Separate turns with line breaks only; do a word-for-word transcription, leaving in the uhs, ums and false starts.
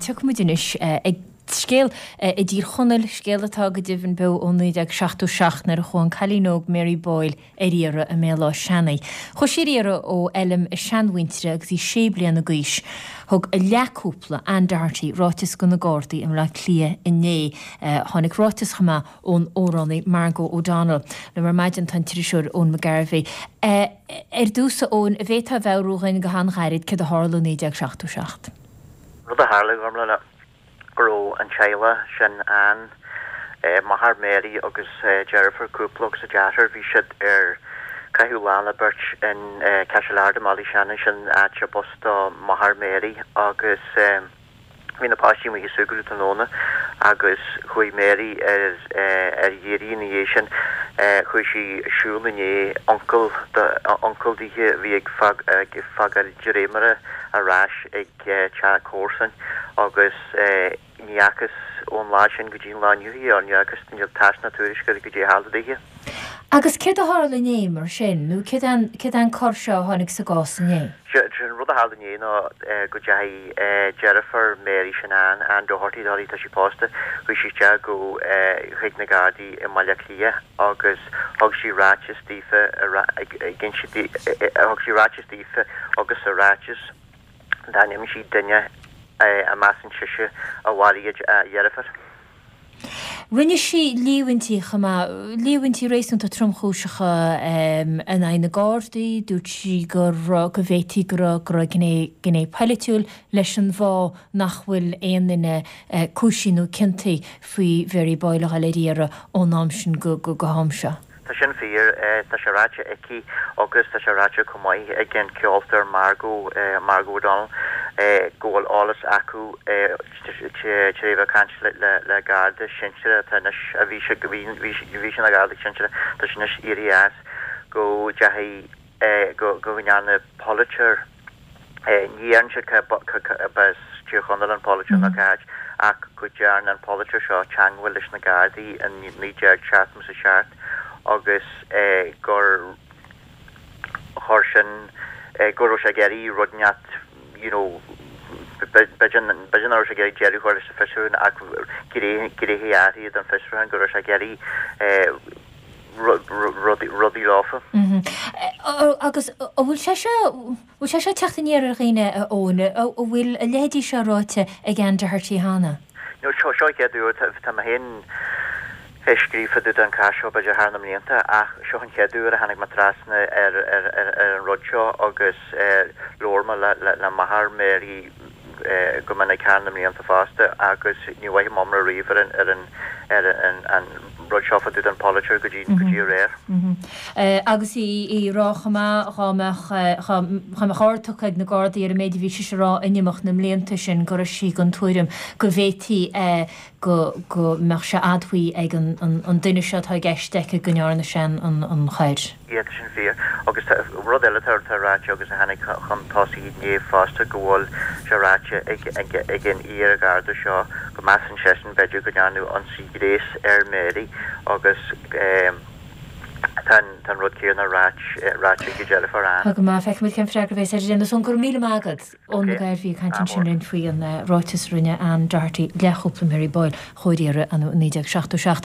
Tiocfaidh muid anois ag scéal i dTír Chonaill, scéal atá go deimhin beo ó naoi déag seachtó seacht nuair a chuaigh an cailín óg Mary Boyle ar iarraidh i mBéal Átha Seanaidh. Chuaigh sí ar iarraidh ó fheilm a seanmhuintire agus í sé bliana d'aois. Thug a leathchúpla, Anne Doherty, ráiteas do na Gardaí i mBleá Cliath inné. Tháinig ráiteas chomh maith ón amhránaí Margo O'Donnell. Liom ar maidin tá an t-iriseoir Eoin McGarvey. Ar dtús, a Eoin, an bhféadfá a mheabhrú dhúinn go han-ghairid céard a tharla i naoi déag seachtó seacht?
Rud a tharla, Gormlaith, ná go raibh an teaghlach sin Anne, máthair Mary agus deirfiúr cúpla agus a deartháir, bhí siad ar caitheamh lá le beirt in Cashelard i mBaile Átha Seanaidh, sin áit a b'as do mháthair Mary agus bhí na páistí amuigh ag súgradh tráthnóna agus chuaigh Mary ar ar iarraidh ina dhiaidh sin, chuaigh sí ag siúl i ndiaidh uncail uncail dithe a bhí ag fágáil dréimire ar ais ag teach comharsan agus ní fhacthas ón lá sin go dtí an lá inniu í, ní fhacthas, níl tásc ná tuairisc ar goidé a tharla dithe.
Agus céard a tharla inné mar sin, nó céard é céard é an cor seo a tháinig sa gcás inné?
Sé an rud a tharla inné ná go dteachaigh deirfiúr Mary sin Anne, Anne Doherty, Doherty tá sí pósta, chuaigh sí isteach go chuig na Gardaí i mBaile Átha Cliath agus thug sí ráiteas daofa ag inse thug sí ráiteas daofa agus sa ráiteas d'ainmnigh sí duine a measann sise a mharaigh a dheirfiúr.
Rinne sí líomhaintí chomh maith, líomhaintí réasúnta tromchúiseacha in aghaidh na Gardaí. Dúirt sí go raibh, go bhféadfaí go raibh, go raibh gné, gné polaitiúil leis an bhfáth nach bhfuil aon duine cúisithe nó ciontaithe faoi Mhary Boyle a dhul ar iarraidh ón am sin go, go, go ham seo.
Tá sin fíor. Tá sé ráite aici agus tá sé ráite chomh maith ag an ceoltóir Margo, Margo O'Donnell, go bhfuil eolas acu tar éis a bheith ag caint le Garda sinsearach atá anois, a bhí sé, bhí, bhí sé ina Gharda sinsearach, tá sé anois éirithe as, go ndeachaigh, go, go ndearna polaiteoir, Ní deireann siad cá as Tír Chonaill an polaiteoir ná cá háit ach go dtearn an polaiteoir seo teangmháil leis na Gardaí in naoi déag seachtó is a seacht agus gur chuir sin, go raibh sé ag iarraidh rud inteacht you know b'fhéidir b'fhéidir nach raibh sé ag iarraidh deireadh a chur leis an bhfiosrúchán ach gnéithe áirithe den bhfiosrúchán go raibh sé ag iarraidh rudaí leofa.
Agus an bhfuil sé seo, bhfuil sé seo ag teacht aniar ar dhaoine, a Eoin? An bhfuil a leithéidí seo ráite ag Anne Doherty cheana?
No, seo an chéad uair, tá mé féin ag scríobh fá dtaobh den chás seo b'fhéidir thar na mblianta ach seo an chéad uair a tháinig mé trasna ar an rud seo agus labhair mé le máthair Mary go minic thar na mblianta fosta agus ní bhfaighe mé riamh ar an ar an rud seo fá dtaobh den pholaiteoir go dtí go dtí aréir.
Agus í ag rá chomh maith dhá mbeadh dhá mbeadh aird tugtha ag na Gardaí ar an méid a bhí sise a rá in imeacht na mblianta sin go raibh sí den tuairim go bhféadfaí go go mbeadh sé admhaithe ag an duine seo atá i gceist aici go ndearna sé an choir.
Yeah, tá sin fíor. Agus tá rud eile atá atá ráite agus a tháinig chun tosaigh inné fosta go bhfuil sé ráite ag ag ag an iar-Gharda seo go measann seisean b'fhéidir go ndearnadh ionsaí gnéis ar Mary agus tá an tá an rud céanna ráite ráite ag a deirfiúr Anne.
Tá go maith. Feicfimid cén freagra a bheas air. Déanamh san. Go raibh míle maith agat. Eoin McGarvey ag caint ansin linn faoi an ráiteas a rinne Anne Doherty, leathchúpla Mary Boyle, a chuaigh ar iarraidh in naoi déag seachtó seacht.